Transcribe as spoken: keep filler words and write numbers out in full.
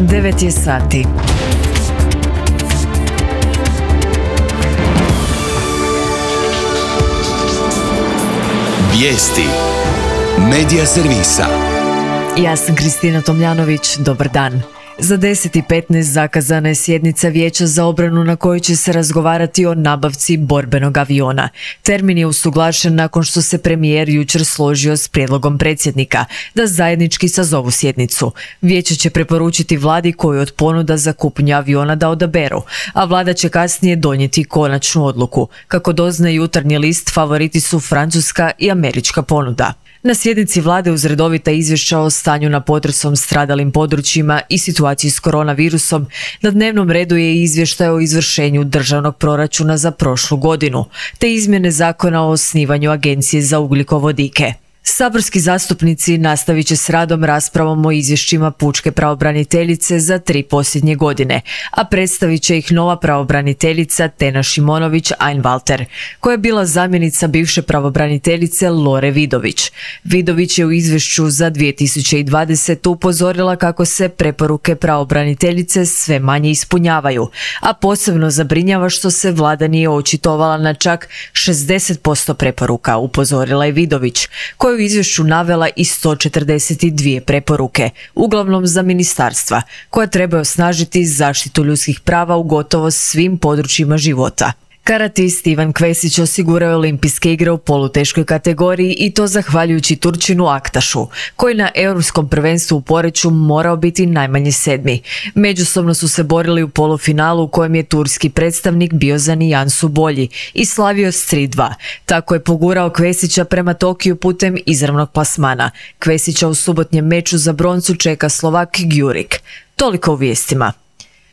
devet je sati. Vijesti Medija servisa. Ja sam Kristina Tomljanović, dobar dan. Za deset i petnaest zakazana je sjednica Vijeća za obranu na kojoj će se razgovarati o nabavci borbenog aviona. Termin je usuglašen nakon što se premijer jučer složio s prijedlogom predsjednika da zajednički sazovu sjednicu. Vijeće će preporučiti vladi koju od ponuda za kupnju aviona da odaberu, a vlada će kasnije donijeti konačnu odluku. Kako doznaje Jutarnji list, favoriti su francuska i američka ponuda. Na sjednici vlade uz redovita izvješća o stanju na potresom stradalim područjima i situaciji s koronavirusom, na dnevnom redu je izvještaj o izvršenju državnog proračuna za prošlu godinu, te izmjene zakona o osnivanju Agencije za ugljikovodike. Saborski zastupnici nastavit će s radom raspravom o izvješćima pučke pravobraniteljice za tri posljednje godine, a predstavit će ih nova pravobraniteljica Tena Šimonović-Einwalter, koja je bila zamjenica bivše pravobraniteljice Lore Vidović. Vidović je u izvješću za dvije tisuće dvadesetu. upozorila kako se preporuke pravobraniteljice sve manje ispunjavaju, a posebno zabrinjava što se vlada nije očitovala na čak šezdeset posto preporuka, upozorila je Vidović, koju u izvješću navela i sto četrdeset dvije preporuke, uglavnom za ministarstva, koja treba osnažiti zaštitu ljudskih prava u gotovo svim područjima života. Karatist Ivan Kvesić osigurao je olimpijske igre u poluteškoj kategoriji i to zahvaljujući Turčinu Aktašu, koji na europskom prvenstvu u Poreču morao biti najmanje sedmi. Međusobno su se borili u polufinalu u kojem je turski predstavnik bio za nijansu bolji i slavio s tri dva. Tako je pogurao Kvesića prema Tokiju putem izravnog plasmana. Kvesića u subotnjem meču za broncu čeka Slovak Gjurik. Toliko u vijestima.